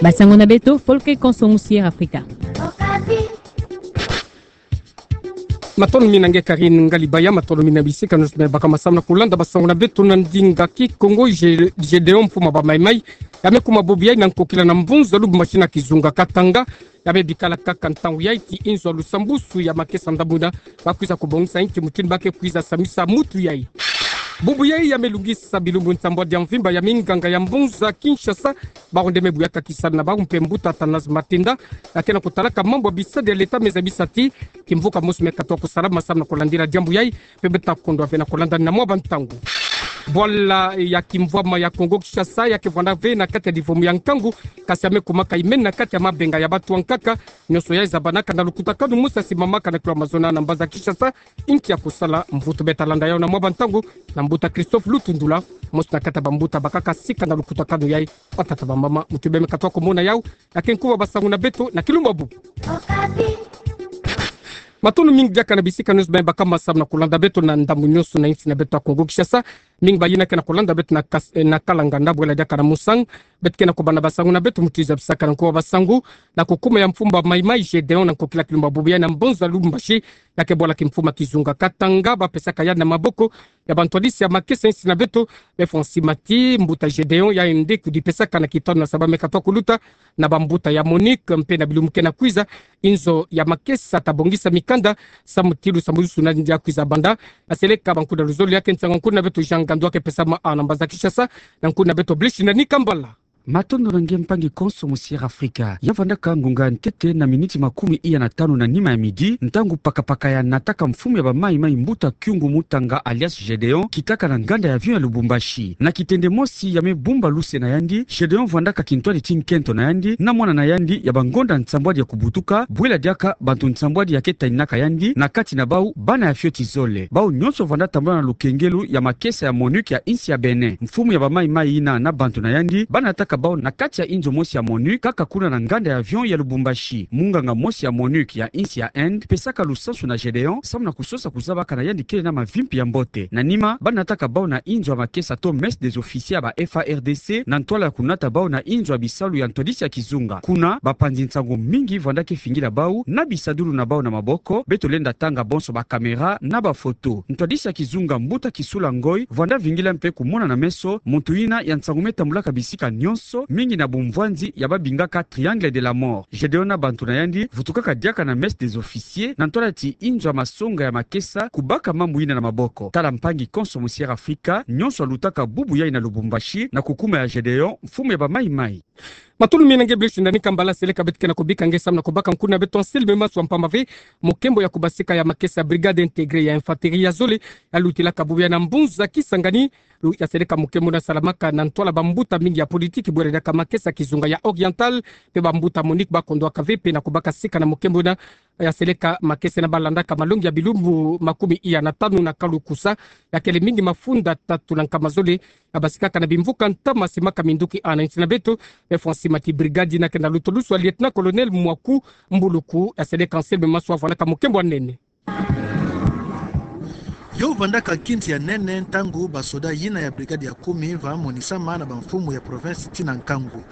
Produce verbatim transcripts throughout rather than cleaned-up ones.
Basango na beto, Folke Konso Musier Afrika. Matondo mingi na nge Karine Ngalibaya, matondo mingi na bisika nyonso me baka masamu na kulanda basango na beto na ndinga Kikongo. Ge-, Gedeon, mfumu a bamaimai, ya me kuma bubu yai na nkokila na mbunzu ya Lubumbashi na kizunga Katanga, ya me bikala kaka ntangu yai ti inzo ya lusambusu ya makesa ndambu yina, ba kwiza kubongisa inki mutindu ba ke kwiza samisa mutu yai. Bubu yai ya me lungisa bilumbu nsambwadi ya mvimba ya minganga ya mbunzu ya Kinshasa, bawu nde me buyaka kisalu na bawu mpe mbuta Athanase Matenda, ya ke na kutalaka mambu ya bisadi ya leta me zabisa ti kimvuka mosi me katuka kusalama samu na kulandila diambu yai, mpe beto ta kondwa ve na kulanda na mwa bantangu. Bwala ya kimvwama ya Kongo Kinshasa ya ke vwanda ve na kati ya livomo ya nkangu, kasi ya me kumaka imeni na kati ya mabenga ya bantu ya nkaka, nyonso yai zabanaka na lukutakanu mosi ya simamaka na kilo ya mazono na mbanza Kinshasa, inki ya kusala mvutu. Beto ta landa yau na mwa bantangu na mbuta Christophe Lutundula, mosi na kati ya bambuta bakaka sika na lukutakanu yai. Batata bamama, mutu bima me katuka kumona yau, ya ke nkumbu ya basango na beto na kilumbu ya bubu. Matondo mingi diaka na bisika nyonso bima me baka masamu na kulanda beto na ndambu nyonso na insi na beto ya Kongo Kinshasa. Mingi bayina ke na kulanda beto na kas-, eh, na Kalanganda, bwela diaka na Musang. Beto ke na kubanda basango na beto mutindu zabisaka na nkumbu ya basango, na kukuma ya mfumu a bamaimai Gedeon na nkokila kilumbu ya bubu yai na mbunzu ya Lubumbashi, ya ke bwala kimfumu ya kizunga Katanga, ba pesaka yandi na maboko ya bantwadisi ya makesa ya insi na beto. Be fwa nsi mati mbuta Gedeon, yandi kudipesaka na kitanu na saba me katuka kuluta na bambuta ya MONUC, mpe na bilumbu ke na kwiza, inzo ya makesa ta bongisa mikanda samu ti lusambusu na ndia kwiza banda. Aseleka bankuda luzolo, ya ke nsangu ya nkuna beto Jean Ngandu, ya ke pesama awa na mbanza Kinshasa na nkuna beto Blaise Shindani Kambala. Matondo na nge mpangi konso Musier Afrika. Ya vandaka ngonga ya ntete na miniti makumi iya na tanu na nima ya midi, ntangu pakapaka ya nataka mfumu ya bamaimai mbuta Kyungu Mutanga alias Gedeon, kitaka na nganda ya avion ya Lubumbashi. Na kitende mosi ya me bumba luse na yandi, Gedeon vandaka kintwadi ti nkento na yandi na mwana na yandi ya bangonda nsambwadi ya kubutuka, bwela diaka bantu nsambwadi ya ke taninaka yandi, na kati na bau bana ya fioti zole. Bau nyonso vanda tambula na lukengelo ya makesa ya MONUC ya insi ya Benin. Mfumu ya bamaimai yina na bantu na yandi ba nataka bau na kati ya inzo mosi ya MONUC, kaka kuna na nganda ya avion ya Lubumbashi. Munganga mosi ya MONUC ya insi ya Inde pesaka lusansu na Gedeon, samu na kusosa kuzabaka na yandi kele na mavimpi ya mbote. Na nima, ba nataka bau na inzo ya makesa to messe des officiers ya ba F A R D C, na ntwala ya kunata bau na inzo ya bisalu ya ntwadisi ya kizunga. Kuna, bapanzi nsangu mingi vanda ke fingila bau na bisadulu na bau na maboko. Beto lenda tanga bonso ba caméra na ba photo. Ntwadisi ya kizunga mbuta Kisula Ngoy vanda vingila mpe kumona na meso muntu yina ya nsangu me tambulaka bisika nyonso, mingi na bumvwanzi ya ba bingaka Triangle de la Mort. Gedeon na bantu na yandi vutukaka diaka na messe des officiers na ntwala ti inzo ya masonga ya makesa kubaka mambu yina na maboko. Tala mpangi konso Musier Afrika, nyonso alutaka bubu yai na Lubumbashi na kukuma ya Gedeon, mfumu ya bamaimai. Matondo mingi na nge Blaise Shindani Kambala. Seleka beto ke na kubika nge samu na kubaka nkuna beto Anselme Maswa mpamba ve mokembo ya kubasika ya makesa ya brigade intégrée ya infanterie ya zole, ya lutilaka bubu yai na mbunzu ya Kisangani. Lu-, ya seleka mokembo yina salamaka na ntwala bambuta mingi ya politiki, bwela diaka makesa kizunga ya Oriental, mpe bambuta MONUC ba kondwaka ve mpe na kubaka sika na mokembo yina. Ya seleka makesa yina ba landaka malongi ya bilumbu makumi iya na tanu na kalukusa, ya kele mingi mafunda tatu na nkama zole, ya basikaka na bimvuka ntama simaka minduki awa na insi na beto. Be fwa nsi mati brigade yina ke na lutulusu ya lieutenant-colonel Mwaku Mbuluku. Ya seleka Anselme Maswa vandaka mokembo ya nene. Yo vandaka nkinzi ya nene ntangu basoda yina ya brigade ya kumi va monisama na bamfumu ya province ti na nkangu.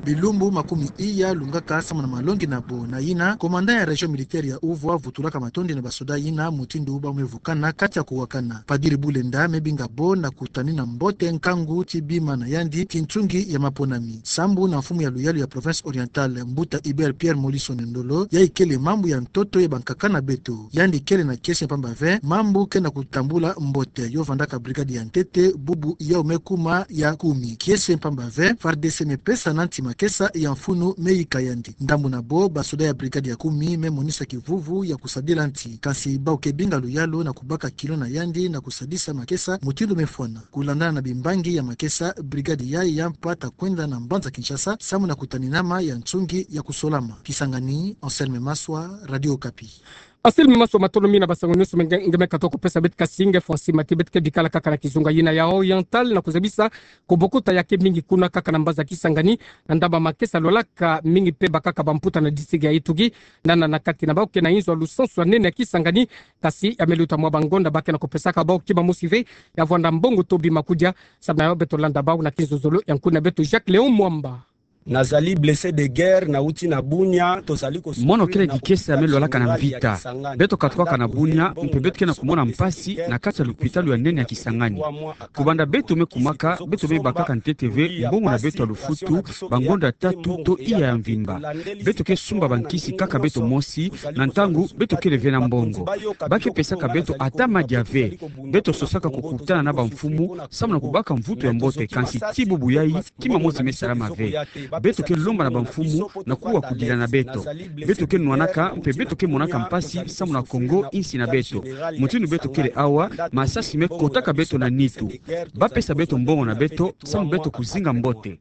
Bilumbu makumi iya lungaka samu na malongi na bo. Na yina, commandant ya région militaire ya Ouvwa vutulaka matondi na basoda yina mutindu ba me vukana kati ya kuwakana. Padiri Bulenda me binga bo na kutanina mbote nkangu ti bima na yandi ti nsungi ya maponami. Sambu na mfumu ya luyalu ya province orientale, mbuta Hubert Pierre Molisson Ndolo, yai kele mambu ya ntoto ya bankaka na beto. Yandi kele na kiese mpamba ve mambu ke na kutambula mbote. Yo vandaka brigade ya ntete bubu yau me kuma ya kumi. Kiese mpamba ve FARDC me pesa na nti makesa ya mfunu me yika yandi. Ndambu na bo, basoda ya brigade ya kumi me monisa kivuvu ya kusadila nti. Kansi bau ke binga luyalu na kubaka kilo na yandi na kusadisa makesa mutindu me fwana. Kulandana na bimbangi ya makesa, brigade yai ya mpa ta kwenda na mbanza Kinshasa samu na kutaninama ya nsungi ya kusolama. Kisangani, Anselme Maswa, Radio Okapi. Anselme Maswa, matondo mingi na basango nyonso nge, nge me katuka kupesa beto, kasi nge fwa nsi mati beto ke bikala kaka na kizunga yina ya Oriental na kuzabisa kubokuta ya ke mingi kuna kaka na mbanza Kisangani, na ndambu ya makesa lwalaka mingi mpe bakaka bamputa na district ya Ituri, na, na, na kati na bau ke na inzo ya lusansu ya nene ya Kisangani, kasi ya me luta mwa bangonda ba ke na kupesaka bau kima mosi ve ya vwanda mbongo to bima kudia. Samu na yo beto landa bau na kinzonzolo ya nkuna beto Jacques Léon Mwamba. Nazali blessé de guerre, nauti na Bunia, tozali kosu- Mono kele kikese ya me lwalaka na mvita. Beto katuka na Bunia, mpe beto ke na kumona mpasi na kati ya lupitalu ya nene ya Kisangani. Kubanda beto me kumaka, beto me bakaka ntete ve mbongo na beto ya lufutu, bangonda tatu to iya ya mvimba. Beto ke sumba bankisi kaka beto mosi, na ntangu beto kele ve na mbongo. Ba ke pesaka beto ata madia ve. Beto sosaka kukutana na bamfumu, samu na kubaka mvutu ya mbote, kansi ti bubu yayi, kima mosi me salama ve. Beto ke lomba na bamfumu na kuwa kudila na beto. Beto ke nwanaka, mpe beto ke monaka mpasi, samu na Kongo, insi na beto. Mutindu beto kele awa, masasi me kotaka beto na nitu. Ba pesa beto mbongo na beto, samu beto kuzinga mbote.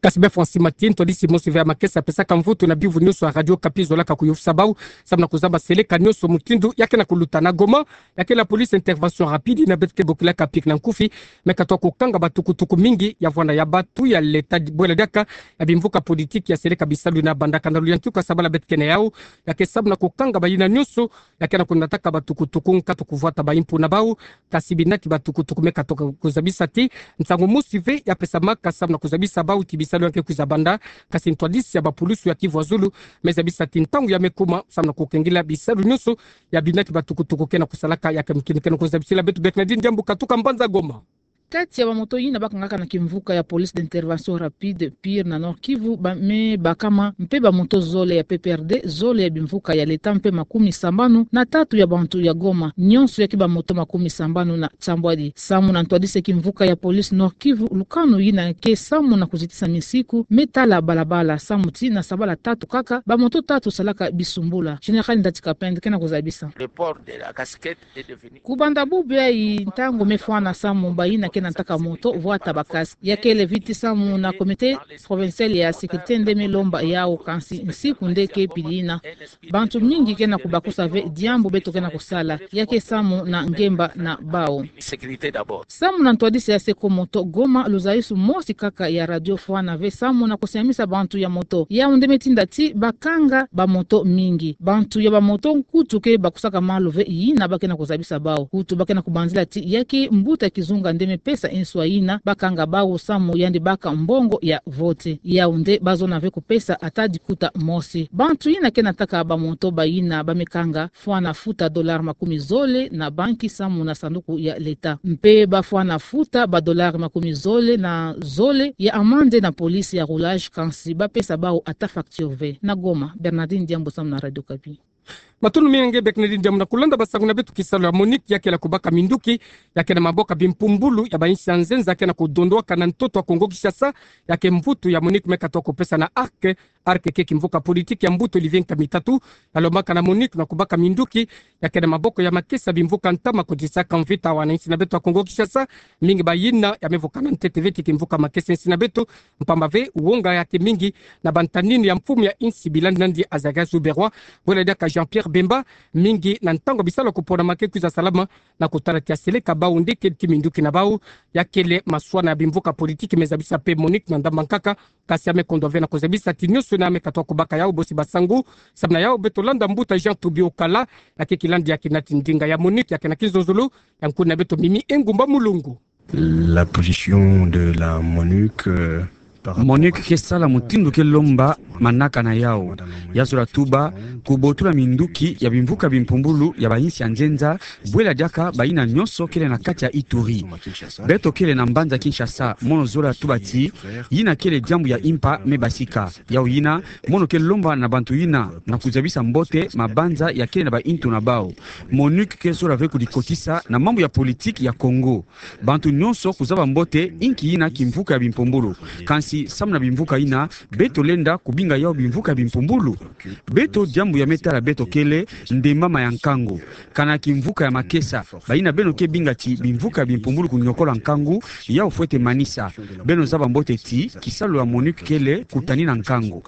Kasi bê Francis Mati, ntwadisi mosi ve ya makesa, pesaka mvutu na biyuvu nyonso ya Radio Okapi, zolaka kuyôfisa bawu, samu na kuzaba seleka nyonso mutindu ya ke na kuluta. Na Goma, ya ke la police intervention rapide, na beto ke bokilaka PIR na nkufi, me katuka kukanga batukutuku mingi ya vwanda ya batu ya leta, bwela diaka ya bimvuka politiki ya seleka bisalu na bandaka na luyantika sabala beto ke na yawu, ya ke samu na kukanga bayina nyonso ya ke na kunataka batukutuku, nkatu kuvwata baimpu na bawu, kasi binaki batukutuku me katuka kuzabisa ti nsangu mosi ve ya pesamaka samu na kuzabisa bawu ti bisalu ya ke kwiza banda, kasi ntwadisi ya bapulusu ya Kivu ya Zulu me zabisa ti ntangu ya me kuma samu na kukengila bisalu nyonso ya binaki batukutuku ke na kusalaka. Ya ke mukini ke na kuzabisila beto Bernardine Diambu katuka mbanza Goma. Kati ya bamoto yina bakangaka na kimvuka ya police d'intervention rapide PIR na Nord-Kivu, ba me bakama mpe bamoto zole ya PPRD, zole ya bimvuka ya leta mpe makumi sambanu na tatu ya bantu ya Goma, nyonso ya ke bamoto makumi sambanu na tiambwadi. Samu na ntwadisi ya kimvuka ya police Nord-Kivu, lukanu yina ke samu na kuzitisa misiku me tala balabala, samu ti na sabala tatu kaka, bamoto tatu salaka bisumbula. Général Ndati Kapend ke na kuzabisa. Kubanda bubu yayi, ntangu me fwana samu bayina ke na taka moto vwata ba casque. Ya kele viti samu na Comité Provincial ya Sécurité nde me lomba yawu, kansi nsiku nde ke pili yina, bantu mingi ke na kubakusa ve diambu beto ke na kusala. Ya ke samu na ngemba na bawu. Samu na ntwadisi ya Seko Moto Goma, luzayusu mosi kaka ya radio fwana ve samu na kusiamisa bantu ya moto. Yawu nde me tinda ti bakanga bamoto mingi. Bantu ya bamoto nkutu ke bakusaka malu ve yina ba ke na kuzabisa bawu. Kutu ba ke na kubanzila ti ya ke mbuta kizunga nde me pesa nswa yina bakanga bawu samu yandi baka mbongo ya vote. Yawu nde bazona ve kupesa ata dikuta mosi. Bantu yina ke na taka bamoto bayina ba me kanga fwana futa dollar makumi zole na banki samu na sanduku ya leta. Mpe ba fwana futa ba dollar makumi zole na zole ya amande na police ya roulage, kansi ba pesa bawu ata facture ve. Na Goma, Bernardine Diambu samu na Radio Okapi. Matondo mingi nge Bernardine Diambu. Na kulanda basangu na beto, kisalu ya MONUC ya kele kubaka minduki ya ke na maboko ya bimpumbulu ya bainsi ya nzenza ke na kudondoka na ntoto ya Kongo Kinshasa, ya ke mvutu ya MONUC me katuka kupesa na ARC. ARC ke kimvuka politiki ya mbuta Olivier Nkamitatu, ya lombaka na MONUC na kubaka minduki ya ke na maboko ya makesa bimvuka ntama, kuditisaka mvita ya wana insi na beto ya Kongo Kinshasa. Mingi bayina ya me vukana ntete ve ti kimvuka makesa insi na beto, mpamba ve wonga ya ke mingi na bantanini ya mfumu ya insi Bilandadi Azarias Ruberwa, bwela diaka Jean-Pierre Bemba, mingi na ntangu ya bisalu ya kupona ma ke kwiza salama, na kutala ti ya seleka bawu nde kele ti minduki na bawu. Ya kele maswana ya bimvuka politiki me zabisa mpe MONUC na ndamba nkaka, kasi ya me kondwa ve na kuzabisa ti nyonso yina ya me katuka kubaka yawu bosi basangu. Samu na yawu beto landa mbuta Jean Toubi Okala, ya ke kilandi ya kinati ndinga ya MONUC ya ke na kinzonzolo ya nkuna beto Mimi Engumba Mulongo. La position de la MONUC, euh, par rapport MONUC ke sala mutindu ke lomba manaka na yawu. Ya zola tuba kubotula minduki ya bimvuka bimpumbulu ya bainsi ya nzenza, bwela diaka bayina nyonso kele na kati ya Ituri. Beto kele na mbanza Kinshasa, mono zola tuba ti yina kele diambu ya impa me basika. Yawu yina, mono ke lomba na bantu yina na kuzabisa mbote mabanza ya kele na baintu na bawu. MONUC ke zola ve kudikotisa na mambu ya politiki ya Kongo. Bantu nyonso kuzaba mbote inki yina kimvuka ya bimpumbulu. Kansi samu na bimvuka yina, beto lenda kubinga yawu bimvuka ya bimpumbulu? Beto, diambu ya me tala beto kele nde mama ya nkangu. Kana kimvuka ya makesa, bayina beno ke binga ti bimvuka ya bimpumbulu kuniokola nkangu, yawu fwete manisa. Beno zaba mbote ti kisalu ya MONUC kele kutanina nkangu.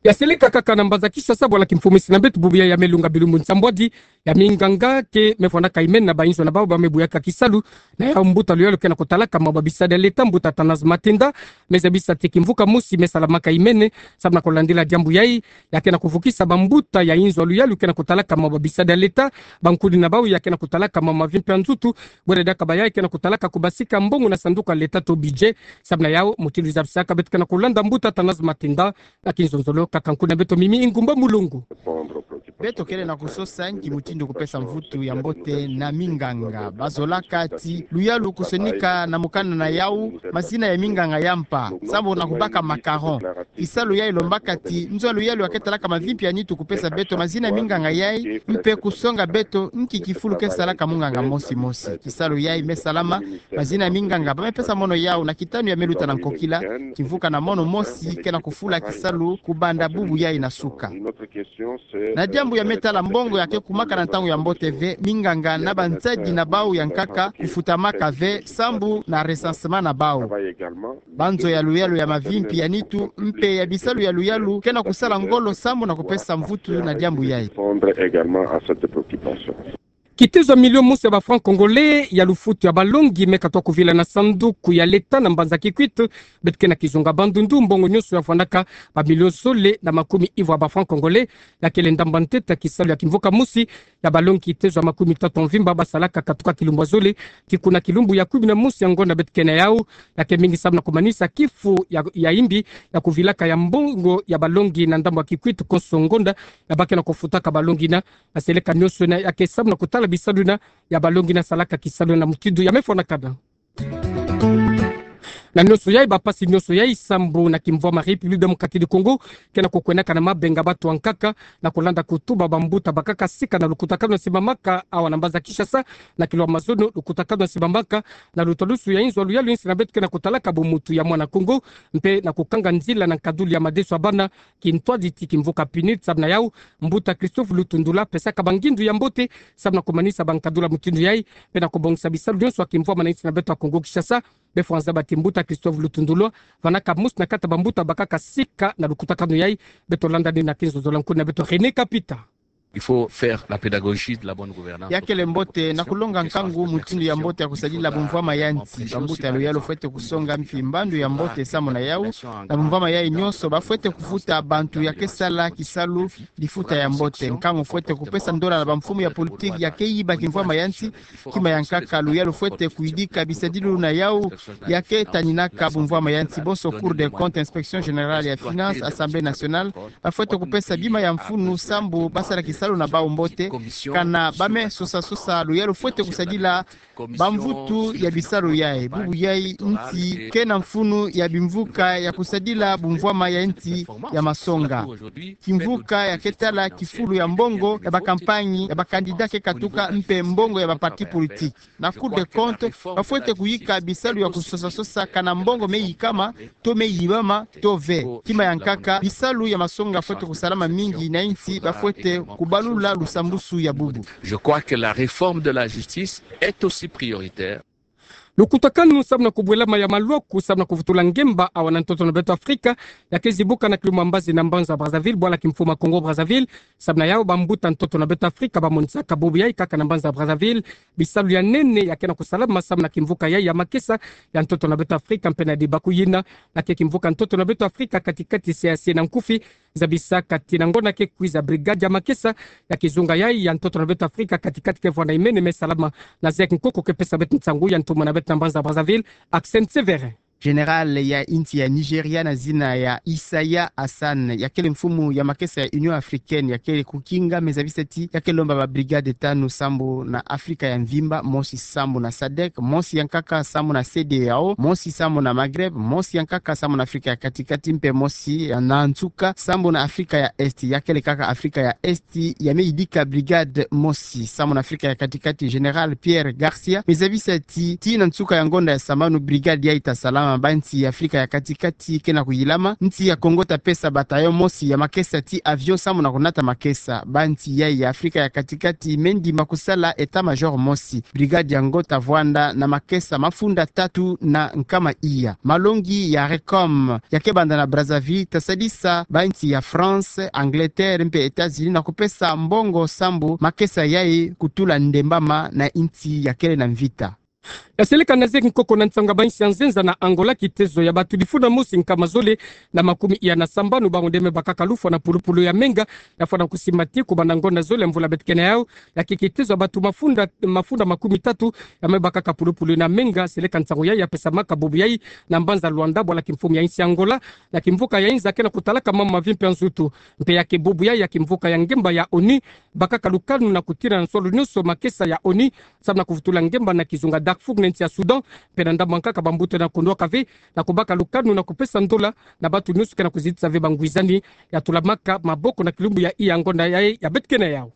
Ya seleka kaka na mbanza Kinshasa, bwala kimfumisina beto bubu yayi ya melunga bilumbu nsambwadi ya minganga ke mefwanaka imene na bainzo na bawu ba mebuyaka kisalu na yawu mbuta luyalu ke na kutalaka mambu ya bisadi ya leta, mbuta Athanase Matenda, mezabisa ti kimvuka mosi mesalamaka imene samu na kulandila diambu yayi, ya ke na kuvukisa bambuta ya inzo ya luyalu ke na kutalaka mambu ya bisadi ya leta, bankuni na bawu ya ke na kutalaka mambu mavimpi ya nzutu, bwere diaka bayayi ke na kutalaka kubasika mbongo na sanduku ya leta to budget. Samu na yawu, mutindu zabisaka beto ke na kulanda mbuta Athanase Matenda na kinzonzolo kaka nkuna beto Mimi Ingumba Mulongo. Beto kele na kusosa nki mutindu kupesa mvutu ya mbote na minganga. Bazolaka ti luyalu kusonika na mukanda na yawu mazina ya minganga ya mpa, sambu na kubaka macaron. Kisalu yayi lombaka ti nzo ya luyalu ya ke talaka mavimpi ya nitu kupesa beto mazina ya minganga yayi, mpe kusonga beto nki kifulu ke salaka munganga mosi mosi. Kisalu yayi mesalama, mazina ya minganga ba mepesa mono yawu na kitanu ya meluta na nkokila, kimvuka na mono mosi ke na kufula kisalu kubanda bubu yayi na suka. Na diambu ya metala mbongo ya ke kumaka na ntangu ya mbote ve, minganga na banzadi na bawu ya nkaka kufutamaka ve sambu na recensement na bawu. Banzo ya luyalu ya mavimpi ya nitu mpe ya bisalu ya luyalu ke na kusala ngolo sambu na kupesa mvutu na diambu yayi. Kitezo ya million mosi ya ba francs congolais ya lufutu ya balongi me katwa kuvila na sanduku ya leta na mbanza Kikwit. Beto ke na kizunga Bandundu, mbongo nyonso ya fwanaka ba million zole na makumi ivwa ya ba francs congolais. Ya kele ndamba ntete ya kisalu ya kimvuka mosi ya balongi kitezo ya makumi tatu ya mvimba ba salaka katuka kilumbu ya zole tii kuna kilumbu ya kumi na mosi ya ngonda beto ke na yawu. Ya ke mingi samu na kumanisa kifu ya, ya imbi ya kuvilaka ya mbongo ya balongi na ndambu ya Kikwit konso ngonda ya ba ke na kufutaka balongi na na seleka nyonso na ya ke samu na kutala bisalu na ya balongi na salaka kisalu na mutindu ya mefwanakana. Na nyonso yayi, ba mpasi nyonso yayi sambu na kimvwama République démocratique du Congo ke na kukwenaka na mabenga bato ya nkaka na kulanda kutuba bambuta bakaka sika na lukutakanu ya simbamaka awa na mbanza Kinshasa. Na kilwa mazono lukutakanu ya simbamaka na lutalusu ya inzo ya luyalu insi na beto ke na kutalaka bomutu ya mwana Kongo mpe na kukanga nzila na nkaduli ya madeso ya bana kintwadi ti kimvuka PNUD. Samu na yawu, mbuta Christophe Lutundula pesaka bangindu ya mbote samu na kumanisa bankaduli ya mutindu yayi mpe na kubongisa bisalu nyonso ya kimvwama na insi na beto ya Kongo Kinshasa. Befwanza ba ti mbuta Christophe Lutundula vanaka mosi na kati ya bambuta bakaka sika na lukutakanu yayi. Beto landa nini na kinzonzolo ya nkuni na beto René Kapita. Il faut faire la pédagogie de la bonne gouvernance. Ya kele mbote na kulonga nkangu mutindu ya mbote ya kusadila bumvwama ya nsi. Bambuta ya luyalu fwete kusonga mfi mbandu ya mbote samu na yawu. Na bumvwama yayi nyonso ba fwete kufuta bantu ya ke sala kisalu lifuta ya mbote. Nkangu fwete kupesa ndola na bamfumu ya politiki ya ke yiba kimvwama ya nsi. Kima ya nkaka, luyalu fwete kuyidika bisadilu na yawu ya ke taninaka bumvwama ya nsi, bonso Cour des comptes, Inspection générale ya finances, Assemblée nationale, ba fwete kupesa bima ya mfunu sambu ba sala kisalu na bawu mbote. Kana ba me sosa sosa, luyalu fwete kusadila bamvutu ya bisalu yayi. Bubu yayi nsi ke na mfunu ya bimvuka ya kusadila bumvwama ya nsi ya masonga. Kimvuka ya ke tala kifulu ya mbongo ya ba campagne ya ba candidat ke katuka mpe mbongo ya ba parti politique. Na Cour des comptes, ba fwete kuyika bisalu ya kusosa sosa kana mbongo me yikama, to me yibama, to ve. Kima ya nkaka, bisalu ya masonga fwete kusalama mingi na insi, ba fwete kubalula lusambusu ya bubu. Je crois que la réforme de la justice est aussi prioritaire. Lukutakanu samu na kubwelama ya malwaku samu na kuvutula ngemba awa na ntoto na beto Afrika ya ke zibuka na kilumbu ya mbazi na mbanza Brazzaville, bwala kimfuma Congo Brazzaville. Samu na yawu, bambuta ntoto na beto Afrika ba monisaka bubu yayi kaka na mbanza Brazzaville bisalu ya nene ya ke na kusalama samu na kimvuka yayi ya makesa ya ntoto na beto Afrika mpe na dibaku yina ya ke kimvuka ntoto na beto Afrika kati-kati, C A C na nkufi. Zabisaka ti na ngonda ke kwiza brigade ya makesa ya kizunga yayi ya ntoto na beto Afrika kati-kati ke vwanda imene me salama na Zek Nkoko ke pesa beto nsangu. Ya ntumwa na beto na mbanza Brazzaville, Accent Sévérin. Général ya insi ya Nigeria na zina ya Isaiah Hassan, ya kele mfumu ya makesa ya Union Africaine, ya kele kukinga, me zabisa ti ya ke lomba ba brigade tanu sambu na Afrika ya mvimba, mosi sambu na sadek, mosi ya nkaka sambu na C D A O, mosi sambu na Maghreb, mosi ya nkaka sambu na Afrika ya kati-kati, mpe mosi ya na nsuka sambu na Afrika ya Est. Ya kele kaka Afrika ya Est ya me yidika brigade mosi sambu na Afrika ya kati-kati. Général Pierre Garcia me zabisa ti, ti na nsuka ya ngonda ya sambanu, brigade yayi ta salama Ba nsi ya Afrika ya Katikati ke na kuyilama, nsi ya Kongo ta pesa bataillon mosi ya makesa ti avion sambu na kunata makesa. Ba nsi yai ya Afrika ya Katikati me ndima kusala état-major mosi. Brigade yango ta vwanda na makesa mafunda tatu na nkama iya. Malongi ya Recom ya ke banda na Brazzaville ta sadisa ba nsi ya France, Angleterre mpe États-Unis na kupesa mbongo sambu makesa yai kutula ndembama na nsi ya kele na mvita. Ya seleka na zeki nkoko na nsangu ya ba nsi ya nzenza na Angola, kitezo ya batu difuna mosi nkama zole na makumi iya na sambanu bango nde me bakaka lufwa na pulupulu ya menga, ya fwana kusimati kubanda ngonda zole ya mvula beto ke na yau. Ya ke kitezo ya batu mafunda, mafunda makumi tatu ya me bakaka pulupulu na menga. Seleka nsangu yai ya pesamaka bubu yai na mbanza Luanda, bwala kimfumu ya nsi Angola, na kimvuka ya inza ke na kutalaka mama mavi mpe ya nzutu. Mpe ya ke bubu yai ya kimvuka ya ngemba ya ONU bakaka lukanu na kutina na nsolo nyonso makesa ya ONU sambu na kuvutula ngemba na kizunga Darfour na nsi ya Soudan, mpe na ndambu ya nkaka bambuta na kunwaka ve, na kubaka lukanu na kupesa ndola na batu nyonso ke na kuzitisa ve bangwizani. Ya tulamaka maboko na kilumbu ya iya ngonda yai ya beto ke na yau.